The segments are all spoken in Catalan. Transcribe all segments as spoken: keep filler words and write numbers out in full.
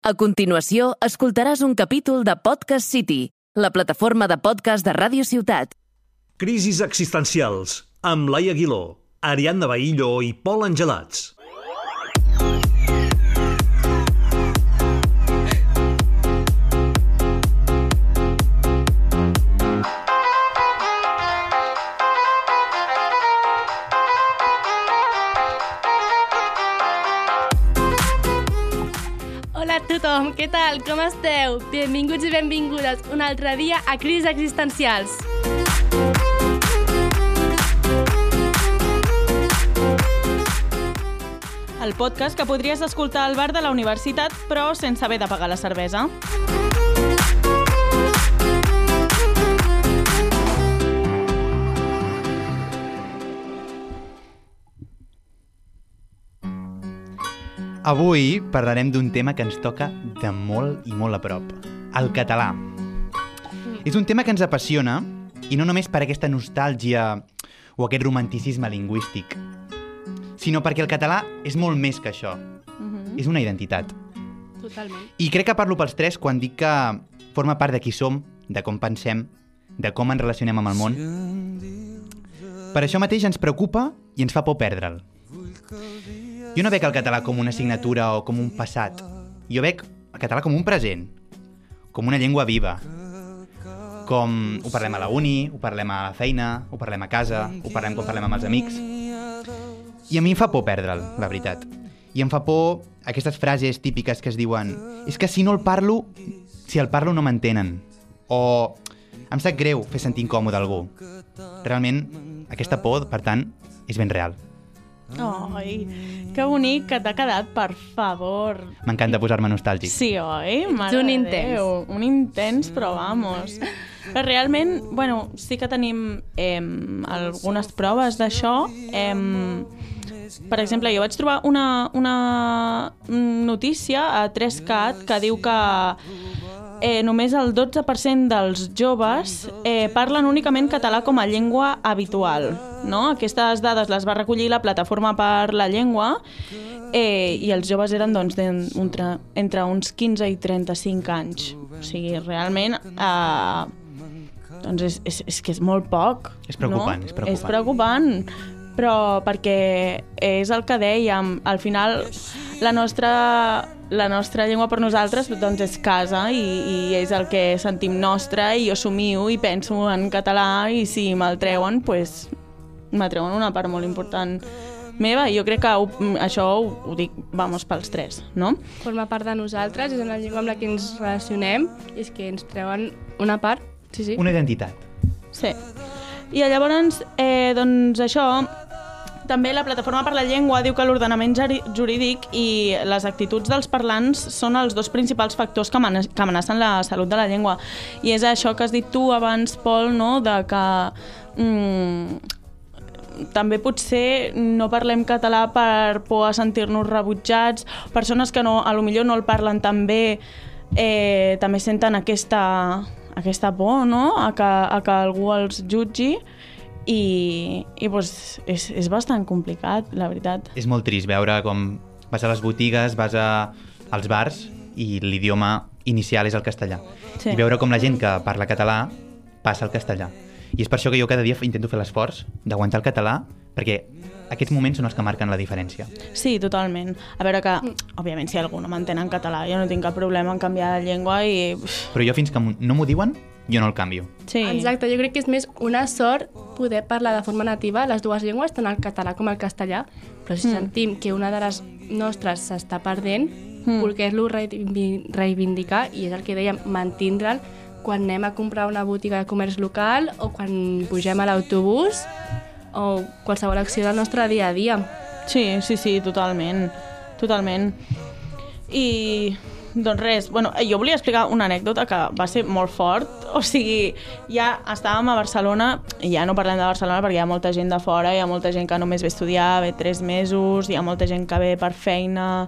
A continuació, escoltaràs un capítol de Podcast City, la plataforma de podcast de Ràdio Ciutat. Crisis existencials, amb Laia Aguiló, Ariadna Bahillo i Pol Angelats. Hola a tothom, què tal? Com esteu? Benvinguts i benvingudes un altre dia a Crisis Existencials. El podcast que podries escoltar al bar de la universitat, però sense haver de pagar la cervesa. Avui parlarem d'un tema que ens toca de molt i molt a prop, el català. És un tema que ens apassiona, i no només per aquesta nostàlgia o aquest romanticisme lingüístic, sinó perquè el català és molt més que això. Uh-huh. És una identitat. Totalment. I crec que parlo pels tres quan dic que forma part de qui som, de com pensem, de com ens relacionem amb el món. Per això mateix ens preocupa i ens fa por perdre'l. Jo no veig el català com una assignatura o com un passat. Jo veig el català com un present, com una llengua viva. Com ho parlem a la uni, ho parlem a la feina, ho parlem a casa, ho parlem quan parlem amb els amics. I a mi em fa por perdre'l, la veritat. I em fa por aquestes frases típiques que es diuen és que si no el parlo, si el parlo no m'entenen. O em sap greu fer sentir incòmode algú. Realment, aquesta por, per tant, és ben real. Ai, que bonic que t'ha quedat, per favor. M'encanta posar-me nostàlgic. Sí, oi? Ets un intens. Déu, un intens, però vamos. Però realment, bueno, sí que tenim eh, algunes proves d'això. Eh, per exemple, jo vaig trobar una, una notícia a tres cat que diu que Eh, només el dotze per cent dels joves eh, parlen únicament català com a llengua habitual, no? Aquestes dades les va recollir la Plataforma per la Llengua eh, i els joves eren doncs, entre, entre uns quinze i trenta-cinc anys. O sigui, realment eh, doncs és, és, és que és molt poc. És preocupant, no? és preocupant. És preocupant, però perquè és el que dèiem, al final la nostra... La nostra llengua per nosaltres doncs, és casa i, i és el que sentim nostre i jo somio i penso en català i si me'l treuen, pues, m'atreuen una part molt important meva i jo crec que ho, això ho, ho dic, vamos, pels tres, no? Forma part de nosaltres, és una llengua amb la que ens relacionem i és que ens treuen una part, sí, sí. Una identitat. Sí. I llavors, eh, doncs això... També la Plataforma per la Llengua diu que l'ordenament jurídic i les actituds dels parlants són els dos principals factors que amenacen la salut de la llengua. I és això que has dit tu abans, Pol, no? De que mm, també potser no parlem català per por a sentir-nos rebutjats. Persones que no, a lo millor no el parlen tan bé eh, també senten aquesta, aquesta por, no? A que, a que algú els jutgi. I, i doncs, és, és bastant complicat, la veritat. És molt trist veure com vas a les botigues, vas a, als bars i l'idioma inicial és el castellà. Sí. I veure com la gent que parla català passa al castellà. I és per això que jo cada dia intento fer l'esforç d'aguantar el català, perquè aquests moments són els que marquen la diferència. Sí, totalment. A veure que, òbviament, si algú no m'entén en català, jo no tinc cap problema en canviar de llengua i... Però jo fins que no m'ho diuen, jo no el canvio. Sí. Exacte, jo crec que és més una sort poder parlar de forma nativa les dues llengües, tant el català com el castellà, però si mm. sentim que una de les nostres s'està perdent, mm. voler-lo reivindicar, i és el que dèiem, mantindre'l quan anem a comprar una botiga de comerç local o quan pugem a l'autobús o qualsevol acció del nostre dia a dia. Sí, sí, sí, totalment. Totalment. I... Doncs res, bueno, jo volia explicar una anècdota que va ser molt fort. O sigui, ja estàvem a Barcelona, i ja no parlem de Barcelona perquè hi ha molta gent de fora, hi ha molta gent que només ve a estudiar, ve tres mesos, hi ha molta gent que ve per feina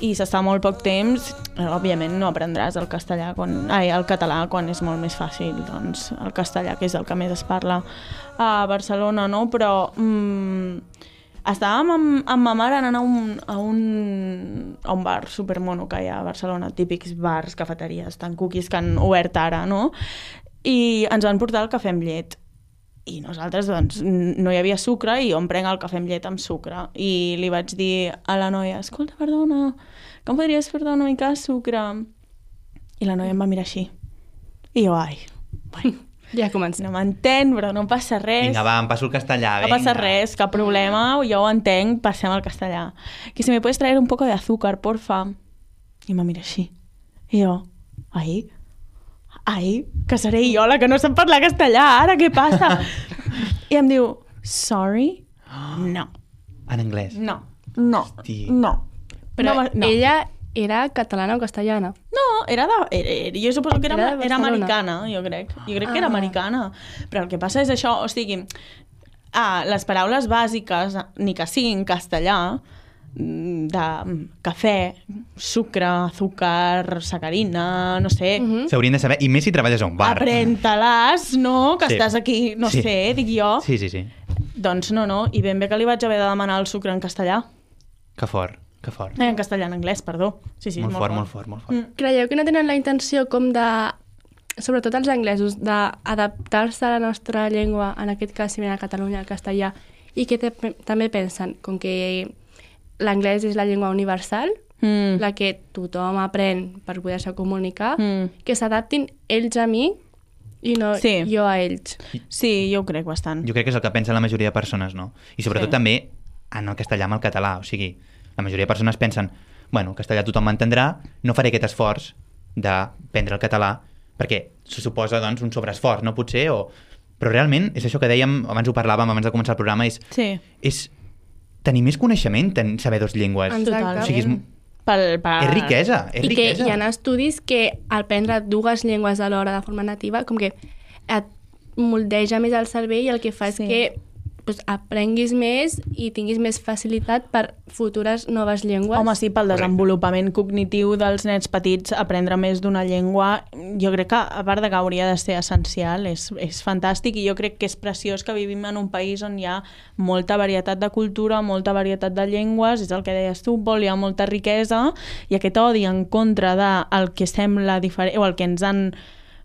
i s'està molt poc temps. Òbviament no aprendràs el castellà quan, ai, el català quan és molt més fàcil, doncs el castellà, que és el que més es parla a Barcelona, no? Però... Mm, estàvem amb, amb ma mare anant a un, a un, a un bar supermono que hi ha a Barcelona, típics bars, cafeteries, tant cookies que han obert ara, no? I ens van portar el cafè amb llet. I nosaltres, doncs, no hi havia sucre i jo em prenc el cafè amb llet amb sucre. I li vaig dir a la noia, escolta, perdona, que em podries portar una mica de sucre? I la noia em va mirar així. I jo, ai, bueno, Ja comencem. no m'entén, però no passa res. Vinga, va, em passo el castellà. No Vinga. passa res, cap problema, jo ho entenc, passem al castellà. Que si me puedes traer un poco de azúcar, porfa. I em va mirar així. I jo, ai, ai, que seré jo la que no sap parlar castellà, ara què passa? I em diu, sorry? No, En anglès. no, no, Hosti. no. Però no, no. ella era catalana o castellana? No, era de... Era, era, jo suposo que era, Era de era Barcelona. americana, jo crec. Jo crec que era Ah. americana. Però el que passa és això, o sigui... Ah, les paraules bàsiques, ni que siguin castellà, mm, de cafè, sucre, azúcar, sacarina, no sé... Mhm. S'haurien de saber, i més si treballes a un bar. Aprèn-te-les, no? Que Sí. estàs aquí, no Sí. sé, dic jo. Sí, sí, sí. Doncs no, no. I ben bé que li vaig haver de demanar el sucre en castellà. Que fort, que fort. Eh, en castellà, en anglès, perdó. Sí, sí, molt, és fort, molt fort, molt fort. Mm. Creieu que no tenen la intenció com de, sobretot els anglesos, d'adaptar-se a la nostra llengua, en aquest cas si ven a Catalunya, al castellà, i que te, també pensen, com que l'anglès és la llengua universal, Mm. la que tothom aprèn per poder-se comunicar, Mm. que s'adaptin ells a mi i no Sí. jo a ells. Sí, jo ho crec bastant. Jo crec que és el que pensa la majoria de persones, no? I sobretot Sí. també en el castellà amb el català. O sigui, la majoria de persones pensen, bueno, el castellà tothom m'entendrà, no faré aquest esforç d'aprendre el català, perquè se suposa, doncs, un sobreesforç, no? Potser, o... Però realment, és això que dèiem, abans ho parlàvem, abans de començar el programa, és, Sí. és tenir més coneixement en saber dues llengües. Exacte. Totalment. O sigui, és, Pel, per... és riquesa, és I que riquesa. hi ha estudis que al prendre dues llengües alhora de forma nativa com que et moldeja més el cervell i el que fa és Sí. que pues, aprenguis més i tinguis més facilitat per futures noves llengües. Home, sí, pel desenvolupament cognitiu dels nens petits, aprendre més d'una llengua, jo crec que, a part de que hauria de ser essencial, és, és fantàstic, i jo crec que és preciós que vivim en un país on hi ha molta varietat de cultura, molta varietat de llengües, és el que deies tu, Pol, hi ha molta riquesa, i aquest odi en contra del que sembla diferent, o el que ens han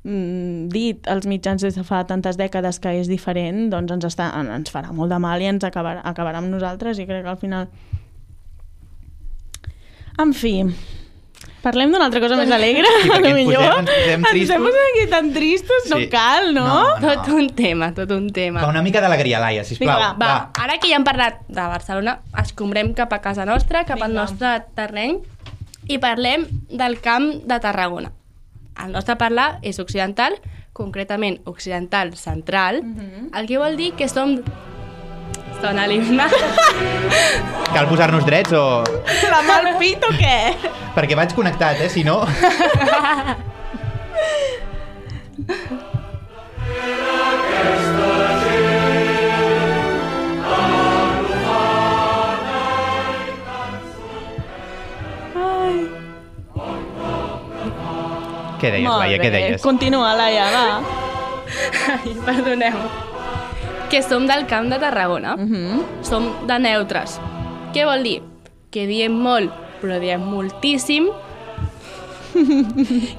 mm, dit els mitjans des de fa tantes dècades que és diferent, doncs ens, està, ens farà molt de mal i ens acabarà, acabarà amb nosaltres, i crec que al final... En fi, parlem d'una altra cosa més alegre, Sí, perquè ens millor. posem- ens posem tristos. Ens hem aquí tan tristos, no Sí. cal, no? No, no. Tot un tema, tot un tema. Va, una mica d'alegria, Laia, sisplau. Vinga, Va, ara que ja hem parlat de Barcelona, escombrem cap a casa nostra, cap al Vinga. nostre terreny, i parlem del Camp de Tarragona. El nostre parlar és occidental, concretament occidental central, el que vol dir que som... Sona l'himne. Cal posar-nos drets o... La mal pit o què? Perquè vaig connectat, eh? Si no... Què deies, Molt Laia, bé. què deies? Continua, Laia, va. Ai, perdoneu. Que som del Camp de Tarragona. Uh -huh. Som de neutres. Què vol dir? Que diem molt, però diem moltíssim,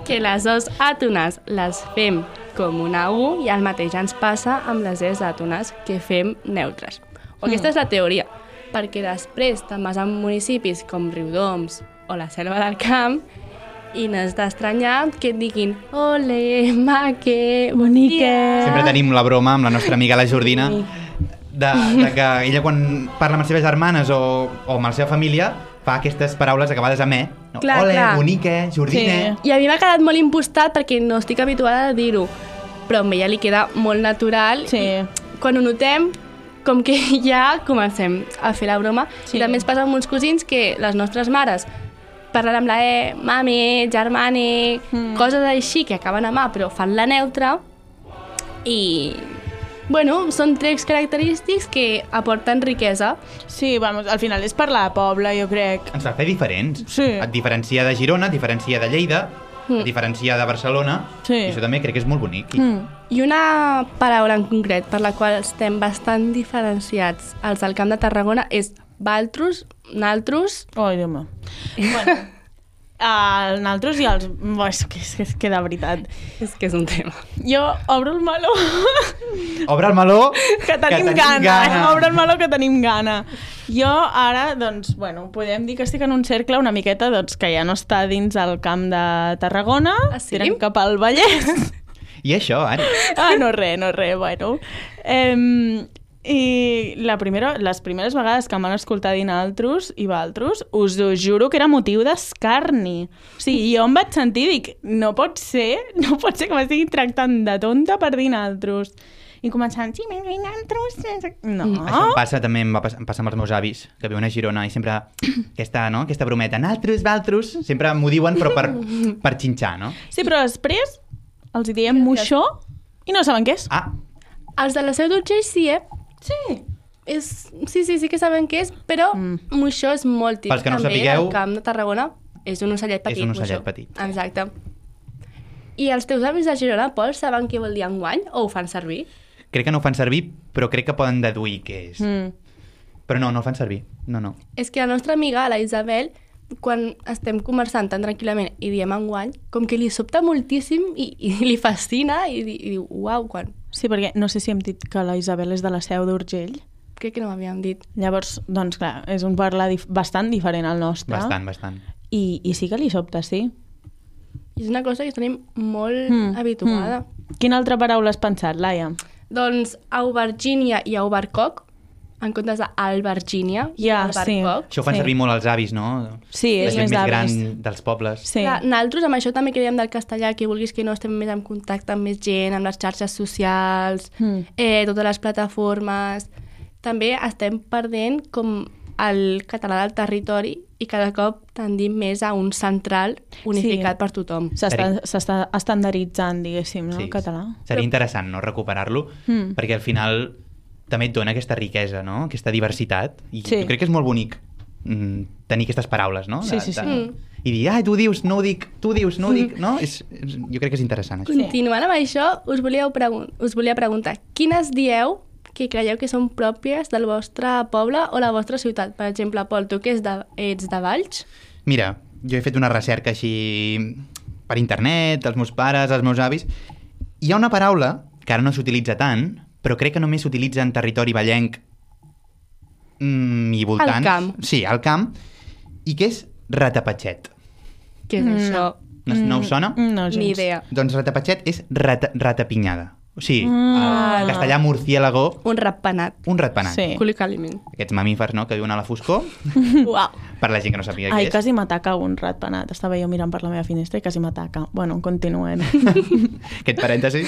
que les os àtones les fem com una U i el mateix ens passa amb les es àtones, que fem neutres. O aquesta és la teoria, perquè després te'n vas a municipis com Riudoms o la Selva del Camp i n'has d'estranyar que et diguin ole, maque, bonica... Sempre tenim la broma amb la nostra amiga la Jordina de, de que ella quan parla amb les seves germanes o, o amb la seva família fa aquestes paraules acabades amb E. No? Clar, Ole, clar. bonique, Jordina... I a mi m'ha quedat molt impostat perquè no estic habituada a dir-ho, però a ella li queda molt natural. Sí. I quan ho notem, com que ja comencem a fer la broma. Sí. I també ens passa amb uns cosins que les nostres mares parlen amb la E, mami, germani, mm. coses així que acaben amb A, però fan la neutra. I, bueno, són trets característics que aporten riquesa. Sí, vamos, al final és parlar de poble, jo crec. Ens fa fer diferents. Sí. Et diferencia de Girona, et diferencia de Lleida, Mm. et diferencia de Barcelona, Sí. i això també crec que és molt bonic. I... Mm. I una paraula en concret per la qual estem bastant diferenciats els del Camp de Tarragona és valtros, naltros... Ai, Déu meu. Bueno, uh, naltros i els... Oh, és, que, és, és que de veritat. És que és un tema. Jo obro el meló. Obre el meló, que tenim, que tenim gana. gana. Obre el meló que tenim gana. Jo ara, doncs, bueno, podem dir que estic en un cercle una miqueta doncs, que ja no està dins el camp de Tarragona, ah, sí? tirem cap al Vallès. I això, Ari? Ah, no res, no res, bueno. Eh, I la primera, les primeres vegades que m'han escoltat dir naltros i valtros, us ho juro que era motiu d'escarni. O sigui, jo em vaig sentir i dic, no pot ser, no pot ser que m'estigui tractant de tonta per dir naltros. I començant, sí, m'he dit naltros. No. Això em passa, també em, va passar, em passa amb els meus avis, que viuen a Girona, i sempre aquesta, no? aquesta brometa, naltros, valtros, sempre m'ho diuen, però per, per xinxar, no? Sí, però després els hi diem moixó i no saben què és. Ah. Els de la Seu d'Urgell sí, eh? Sí. És, sí, sí, sí que saben què és, però mm. moixó és molt típic. Pels que no també sapigueu... al camp de Tarragona és un ocellet petit. És un ocellet moixó. petit. Exacte. I els teus avis de Girona, Pol, saben què vol dir enguany o ho fan servir? Crec que no ho fan servir, però crec que poden deduir què és. Mm. Però no, no ho fan servir. No, no. És que la nostra amiga, la Isabel, quan estem conversant tan tranquil·lament i diem enguany, com que li sobta moltíssim i, i li fascina i, i diu, uau, quan... Sí, perquè no sé si hem dit que la Isabel és de la Seu d'Urgell. Crec que no m'havíem dit. Llavors, doncs clar, és un parlar dif bastant diferent al nostre. Bastant, bastant. I, i sí que li sobta, sí. I és una cosa que tenim molt mm. habituada. Mm. Quina altra paraula has pensat, Laia? Doncs aubergínia i aubercoc, en comptes d'albergínia i Ja, albercoc. Això ho fan Sí. servir molt els avis, no? Sí, La és gent més més d'avis. gran dels pobles. Sí. Clar, nosaltres amb això també que dèiem del castellà, que vulguis que no estem més en contacte amb més gent, amb les xarxes socials, Mm. eh, totes les plataformes. També estem perdent com el català del territori i cada cop tendim més a un central unificat Sí. per tothom. S'està s'està estandarditzant, diguéssim, no, Sí, el català. seria interessant, no?, recuperar-lo, Mm. perquè al final també et dona aquesta riquesa, no?, aquesta diversitat, i Sí. jo crec que és molt bonic mm, tenir aquestes paraules, no? Sí, sí, sí. Mm. I dir, ah, tu dius, no ho dic, tu dius, no ho dic, no? És, és, jo crec que és interessant, això. Continuant amb això, us, volíeu pregun us volia preguntar, quines dieu que creieu que són pròpies del vostre poble o la vostra ciutat? Per exemple, Pol, tu que ets de, ets de Valls? Mira, jo he fet una recerca així per internet, els meus pares, els meus avis. Hi ha una paraula que ara no s'utilitza tant, però crec que només s'utilitza en territori vallenc mm, i voltants. Al camp. Sí, al camp. I que és ratapatxet. Què és Mm. això? No, no us sona? No, gens. Ni idea. Doncs ratapatxet és rata, ratapinyada. O sigui, Ah. en castellà murciélago, Un ratpenat. un ratpenat. Sí. Col·localment. Aquests mamífers, no?, que viuen a la foscor, Uau. per la gent que no sàpiga què Ai, és. quasi m'ataca un ratpenat. Estava jo mirant per la meva finestra i quasi m'ataca. Bueno, continuem. Aquest parèntesi.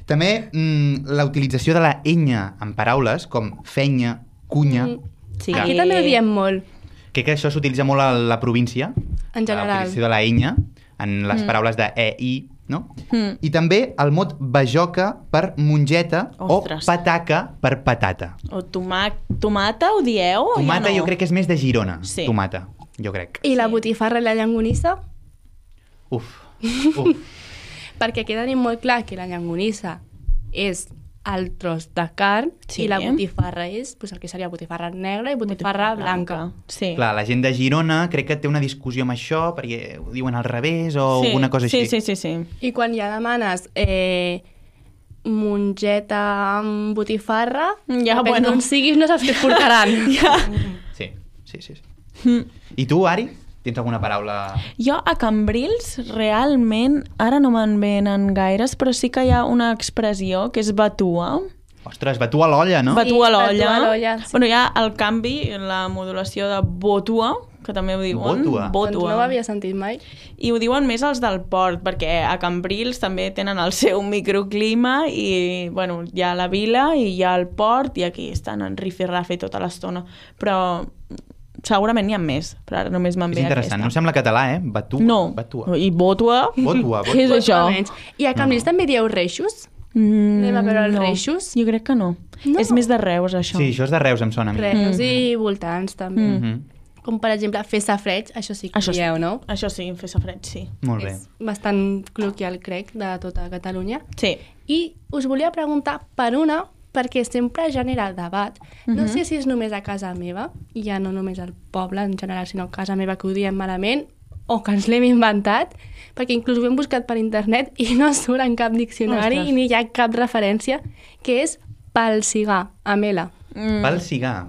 També mm, la utilització de la enya en paraules com fenya, cunya. Mm. Sí. Aquí també ho diem molt, Crec que això s'utilitza molt a la província. en La general. utilització de la enya en les paraules de e, i, no? Mm. I també el mot bajoca per mongeta Ostres. o pataca per patata. O tomac tomata ho dieu o Tomata ja no? jo crec que és més de Girona. Sí. Tomata, jo crec. I la Sí. botifarra i la llangonissa? Uf, uf. Perquè aquí tenim molt clar que la llangonissa és el tros de carn Sí. i la botifarra és pues, el que seria botifarra negra i botifarra blanca. Sí. Clar, la gent de Girona crec que té una discussió amb això perquè ho diuen al revés o sí. alguna cosa sí, així. Sí, sí, sí. I quan ja demanes eh, mongeta amb botifarra, Ja, depèn bueno. d'on siguis no saps què et portaran. Ja. Sí, sí, sí. sí. I tu, Ari? Tens alguna paraula... Jo a Cambrils realment, ara no me'n venen gaires, però sí que hi ha una expressió que és batua. Ostres, batua a l'olla, no? Batua a Sí, l'olla. batua a l'olla, sí. Bueno, hi ha el canvi, la modulació de botua, que també ho diuen. Botua. Doncs no ho havia sentit mai. I ho diuen més els del port, perquè a Cambrils també tenen el seu microclima i, bueno, hi ha la vila i hi ha el port i aquí estan en rifirrafe tota l'estona. Però segurament n'hi ha més, però ara només me'n És ve interessant, no aquesta. sembla català, eh? Batua. No, Batua. i botua, Botua, què és botua. això? Menys. I a Cambrils també dieu reixos? Mm, Anem a veure els no. reixos? Jo crec que no. No. És més de Reus, això. Sí, això és de Reus, em sona a mi. Reus i voltants, també. Mm. Mhm. Com, per exemple, fer safreig, això sí que Això sí. dieu, no? Això sí, fer safreig, sí. Molt bé. És bastant col·loquial, crec, de tota Catalunya. Sí. I us volia preguntar per una perquè sempre genera debat. No sé si és només a casa meva, i ja no només al poble en general, sinó a casa meva que ho diem malament, o que ens l'hem inventat, perquè inclús ho hem buscat per internet i no surt en cap diccionari Ostres. i ni hi ha cap referència, que és palsigar, amb L. Mm. Palsigar.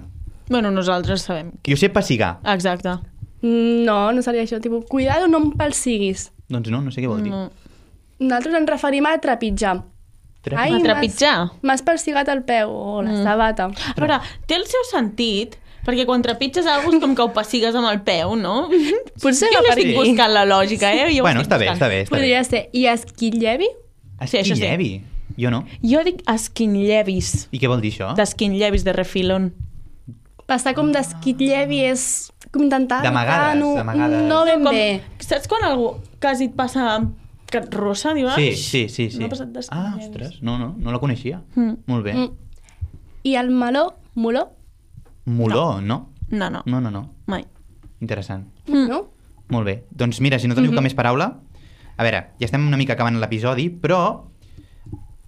Bueno, nosaltres sabem. Jo sé passigar. Exacte. No, no seria això, tipus, cuidado, no em palsiguis. Doncs no, no sé què vol dir. No. Nosaltres ens referim a trepitjar. Trepi- Ai, A m'has- trepitjar? M'has palsigat el peu o la sabata. A veure, té el seu sentit, perquè quan trepitges alguna cosa és com que ho pessigues amb el peu, no? Potser jo va no per estic aquí. buscant la lògica, eh? Jo ho Bueno, estic està bé, buscant. està bé, està bé. Podria ser. I esquillevi? Sí, això sí. Esquillevi. Jo no. Jo dic esquinllevis, I què vol dir això? d'esquinllevis de refilón. Passar com d'esquillevi és com intentar... D'amagades, evitar, no, d'amagades. No ben Com, bé. saps quan algú quasi et passa que et rossa, dius? Sí, "Ai, sí, sí. sí. m'ha passat Ah, d'esquinllevis". ostres, no, no, no la coneixia. Mm. Molt bé. Mm. I el meló, moló? Moló, no? No, no, No, no, no. mai. Interessant. Mm. No? Molt bé. Doncs mira, si no teniu Mhm. cap més paraula... A veure, ja estem una mica acabant l'episodi, però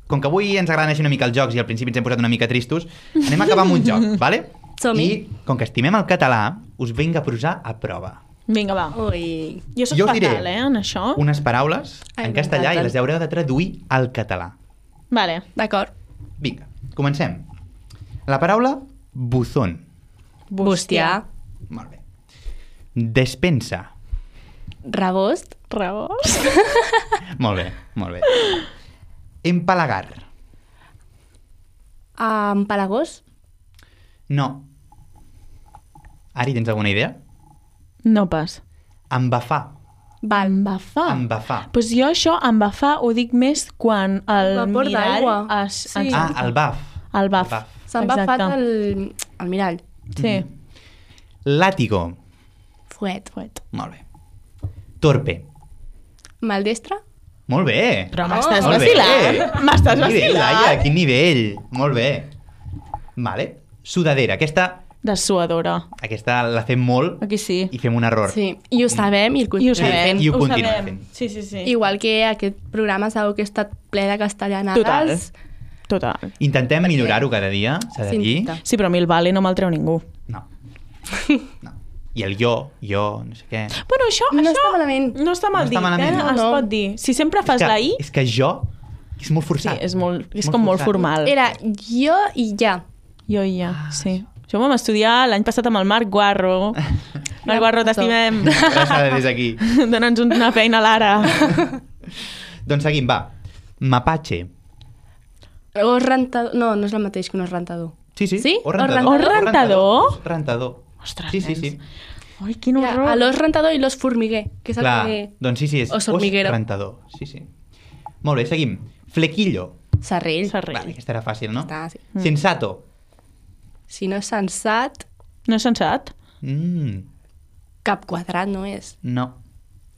com que avui ens agraden així una mica els jocs i al principi ens hem posat una mica tristos, anem a acabar amb un joc, vale? Som-hi. I com que estimem el català, us vinc a posar a prova Vinga, va. Ui. Jo soc Jo us fatal, diré eh, en això. unes paraules Ai, en castellà i m'encanten. les haureu de traduir al català. Vale. D'acord. Vinga, comencem. La paraula buzón. Bustià. Molt bé. Despensa. Rebost. Rebost. Molt bé, molt bé. Empalagar. Empalagós. No. Ari, tens alguna idea? No pas. Embafar. Val. Embafar. Embafar. Pues jo això, embafar, ho dic més quan el Vapor mirall d'aigua. es... Sí. ens- Ah, el baf. El baf. El baf. S'ha embafat Exacte. el, el mirall. Sí. Látigo. Fuet. Fuet. Molt bé. Torpe. Maldestre. Molt bé. Però m'estàs Molt bé. vacilant. M'estàs Quin nivell, vacilant. Laia, quin nivell. Molt bé. Vale. Sudadera. Aquesta, Dessuadora. aquesta la fem molt Aquí sí. i fem un error. Sí. I ho sabem i el I ho continuem sabem. fent. I ho ho continuem sabem. fent. Sí, sí, sí. Igual que aquest programa segur que ha estat ple de castellanades. Total. Total. Intentem millorar-ho cada dia, s'ha de Sí, dir. intenta. Sí, però a mi el vale no me'l treu ningú. No. No. I el jo, jo, no sé què. Bueno, això, No això està malament. no està mal No dit, està malament. eh? No, Es no. pot dir. Si sempre fas és que, la I, És que jo és molt sí, forçat. és, molt, és com molt forçat. formal. Era jo i ja. Jo i ja, sí. Això ho vam estudiar l'any passat amb el Marc Guarro. Marc Guarro, t'estimem. Abraçada des d'aquí. Dóna'ns una feina a l'ara. Doncs seguim, va. Mapache. Os rentador... No, no és el mateix que un os rentador. Sí, sí. Sí? O rentador. O rentador? O rentador. Ostres, Sí, sí, sí. nens. Ai, quin Mira, horror. a l'os rentador i l'os formiguer, que és el Clar, que... doncs sí, sí, és Os hormiguero. rentador. Sí, sí. Molt bé, seguim. Flequillo. Serrell. Serrell. Vale, aquesta era fàcil, no? Està, sí. Sensato. Si no és sensat, No és sensat? Mm, cap quadrat no és. no.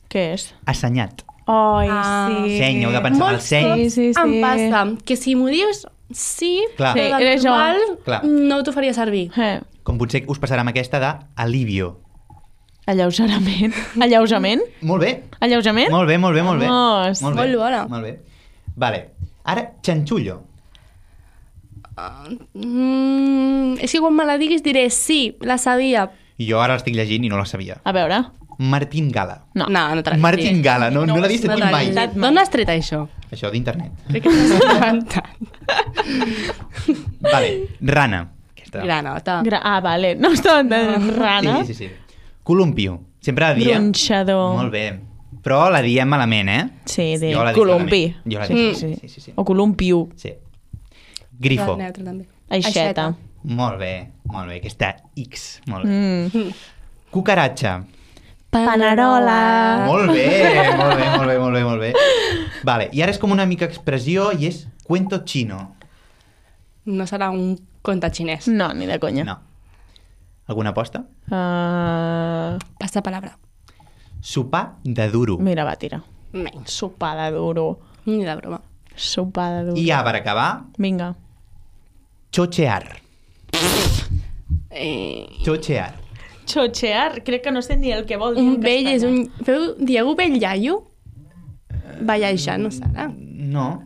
Què és? Assenyat. Ai, Ah. sí. Seny, heu de pensar en el Molts seny. cops Sí, sí, sí. em passa que si m'ho dius, sí, Clar. però Sí, del era jo. normal Clar. no t'ho faria servir. Eh, Com potser us passarà amb aquesta d'alivio. alleugerament. Alleujament? Molt bé. Alleujament? Molt bé, molt bé, molt bé. Vamos. Molt bé. Molt bona. Molt bé. Vale. Ara, xanxullo. Mm, és que quan me la diguis diré sí, la sabia. I jo ara l'estic llegint i no la sabia. A veure. Martín Gala. No. No, no te l'has Martín Gala, no, no, l'ha vist No aquí te mai. l'has dit. D'on has tret això? Això d'internet. Crec que t'has inventat. Vale, rana. Aquesta. Granota. Gra ah, vale. No estava entenent. Rana. Sí, sí, sí. Columpio. Sempre la diem. Gronxador. Molt bé. Però la diem malament, eh? Sí, de Jo la dic columpi. malament. Jo la Sí, dic. sí, Sí, sí, sí. O columpiu. Sí. Grifo. Neutre, també. Aixeta. Molt bé, molt bé. Aquesta X. Molt bé. Mm. Cucaratxa. Panerola. Molt bé, molt bé, molt bé, molt bé, molt bé. Vale, i ara és com una mica expressió i és cuento chino. No serà un conte xinès. No, ni de conya. No. Alguna aposta? Uh, Passa palabra. Sopar de duro. mira, va, tira. Menys. Sopar de duro. Ni de broma. Sopar de duro. I ja, per acabar, Vinga. chochear. Eh, Chochear. Xochear, crec que no sé ni el que vol dir un en vell és castellà. un... Feu, dieu vell iaio? Ballejar, no serà? No.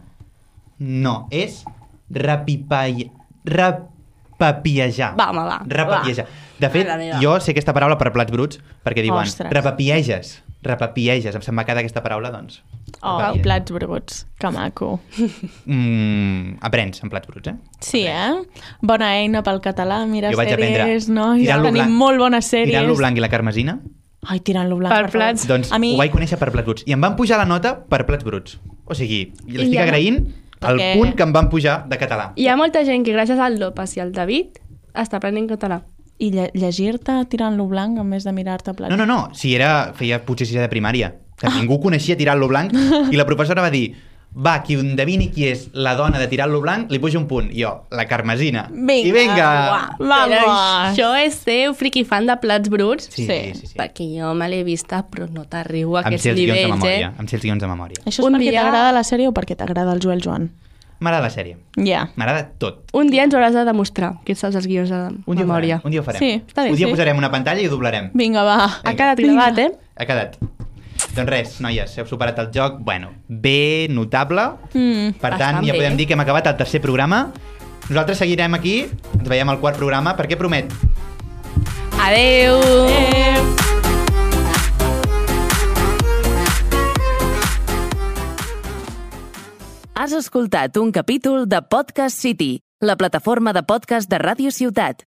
No, és rapipall... repapiejar. Va, home, va. Repapiejar. De fet, Mare meva. jo sé aquesta paraula per plats bruts, perquè diuen Ostres. repapieges. Repapieges. Em se'n va quedar aquesta paraula, doncs. Oh, Repapieges. plats bruts. Que maco. Mm, aprens en plats bruts, eh? Sí, eh? Bona eina pel català, mira Jo vaig aprendre sèries, nois, tirant-lo tenim blanc. molt bones sèries. Tirant-lo blanc i la carmesina, Ai, tirant-lo blanc. Per per favor. plats. doncs A mi- ho vaig conèixer per plats bruts. I em van pujar la nota per plats bruts. O sigui, i l'estic ja no- agraint al Perquè- punt que em van pujar de català. Hi ha molta gent que gràcies al López i al David està aprenent català. I lle llegir-te tirant-lo blanc en vez de mirar-te plats. No, no, no, si era, feia potser sisè de primària. O sigui, ningú coneixia tirant-lo blanc i la professora va dir va, qui endevini qui és la dona de tirant-lo blanc, li puja un punt. I jo, la carmesina. Vinga, I vinga! uah. Però Vamos! això és ser un friqui fan de plats bruts, Sí, Sí. sí, sí. sí. perquè jo me l'he vista, però no t'arribo a Em aquests sé els guions de nivells, memòria. eh? Em sé els guions de memòria. Això és Un perquè dia- t'agrada la sèrie o perquè t'agrada el Joel Joan? M'agrada la sèrie. Ja. Yeah. M'agrada tot. Un dia ens hauràs de demostrar que saps els guions de Un dia ho memòria. farem. Un dia ho farem. Sí, està bé, Un dia sí. posarem una pantalla i ho doblarem. Vinga, va. Ha quedat Vinga. gravat, eh? Ha quedat. Doncs res, noies, heu superat el joc, bueno, bé, notable. Mm. Per tant, Bastant ja bé. podem dir que hem acabat el tercer programa. Nosaltres seguirem aquí, ens veiem al quart programa, perquè promet. Adeu! Eh. Has escoltat un capítol de Podcast City, la plataforma de podcast de Ràdio Ciutat.